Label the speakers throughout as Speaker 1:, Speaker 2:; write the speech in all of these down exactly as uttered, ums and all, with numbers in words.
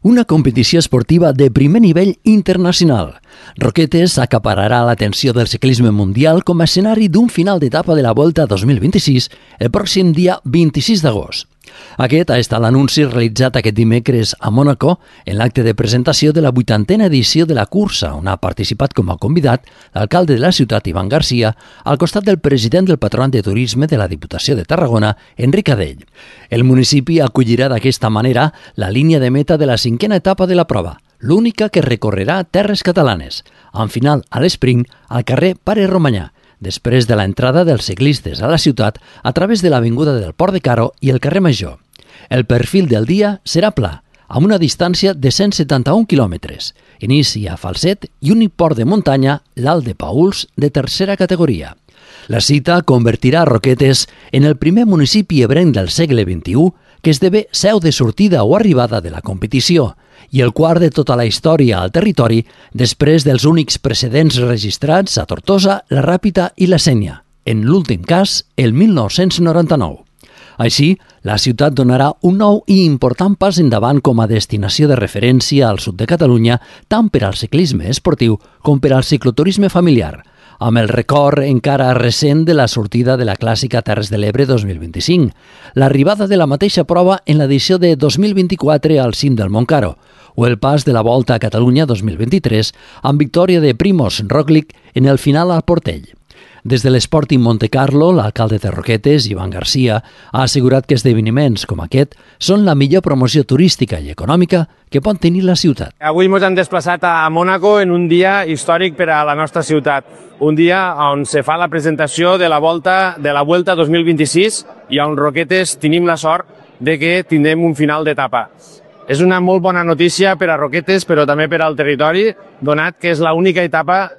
Speaker 1: una competició esportiva de primer nivell internacional. Roquetes acapararà l'atenció del ciclisme mundial com a escenari d'un final d'etapa de la Volta dos mil vint-i-sis el pròxim dia vint-i-sis d'agost. Aquest ha estat l'anunci realitzat aquest dimecres a Mònaco en l'acte de presentació de la vuitantena edició de la cursa, on ha participat com a convidat l'alcalde de la ciutat, Ivan Garcia, al costat del president del Patronat de Turisme de la Diputació de Tarragona, Enric Adell. El municipi acollirà d'aquesta manera la línia de meta de la cinquena etapa de la prova, l'única que recorrerà terres catalanes, amb final a l'esprint al carrer Pare Romanyà, després de l'entrada dels ciclistes a la ciutat a través de l'avinguda del Port de Caro i el carrer Major. El perfil del dia serà pla, amb una distància de cent setanta-un quilòmetres, inici a Falset i un port de muntanya, l'Alt de Pauls, de tercera categoria. La cita convertirà Roquetes en el primer municipi ebrenc del segle vint-i-u que esdevé seu de sortida o arribada de la competició i el quart de tota la història al territori després dels únics precedents registrats a Tortosa, la Ràpita i la Sénia, en l'últim cas el mil nou-cents noranta-nou. Així, la ciutat donarà un nou i important pas endavant com a destinació de referència al sud de Catalunya tant per al ciclisme esportiu com per al cicloturisme familiar, amb el record encara recent de la sortida de la clàssica Terres de l'Ebre dos mil vint-i-cinc, l'arribada de la mateixa prova en l'edició de dos mil vint-i-quatre al cim del Montcaro, o el pas de la Volta a Catalunya dos mil vint-i-tres amb victòria de Primož Roglič en el final al Portell. Des de l'Sporting Montecarlo, l'alcalde de Roquetes, Ivan Garcia, ha assegurat que esdeveniments com aquest són la millor promoció turística i econòmica que pot tenir la ciutat.
Speaker 2: Avui ens hem desplaçat a Mònaco en un dia històric per a la nostra ciutat. Un dia on se fa la presentació de la Volta de la Vuelta dos mil vint-i-sis i on Roquetes tenim la sort de que tindrem un final d'etapa. És una molt bona notícia per a Roquetes, però també per al territori, donat que és l'única etapa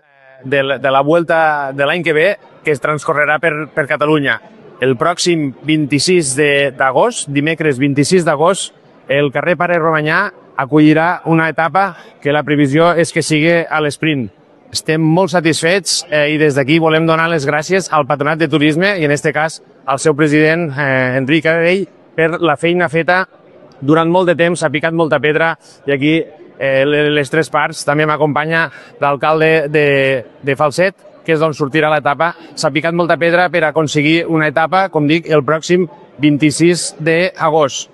Speaker 2: de la, de la Vuelta de l'any que ve que es transcorrerà per, per Catalunya. El pròxim vint-i-sis d'agost, dimecres vint-i-sis d'agost, el carrer Pare Romanyà acollirà una etapa que la previsió és que sigui a l'esprint. Estem molt satisfets eh, i des d'aquí volem donar les gràcies al Patronat de Turisme i en aquest cas al seu president eh, Enric Adell per la feina feta durant molt de temps, ha picat molta pedra i aquí eh, les tres parts, també m'acompanya l'alcalde de, de Falset, que és d'on sortirà l'etapa. S'ha picat molta pedra per aconseguir una etapa, com dic, el pròxim vint-i-sis d'agost.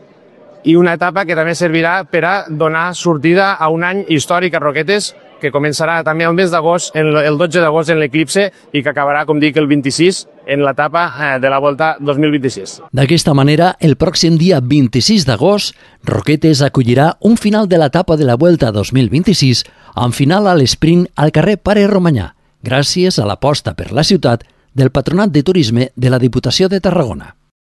Speaker 2: I una etapa que també servirà per a donar sortida a un any històric a Roquetes, que començarà també el mes d'agost, el dotze d'agost en l'eclipse i que acabarà, com dic, el vint-i-sis en l'etapa de la Volta dos mil vint-i-sis.
Speaker 1: D'aquesta manera, el pròxim dia vint-i-sis d'agost, Roquetes acollirà un final de l'etapa de la Volta dos mil vint-i-sis amb final a l'esprint al carrer Pare Romanyà, gràcies a l'aposta per la ciutat del Patronat de Turisme de la Diputació de Tarragona.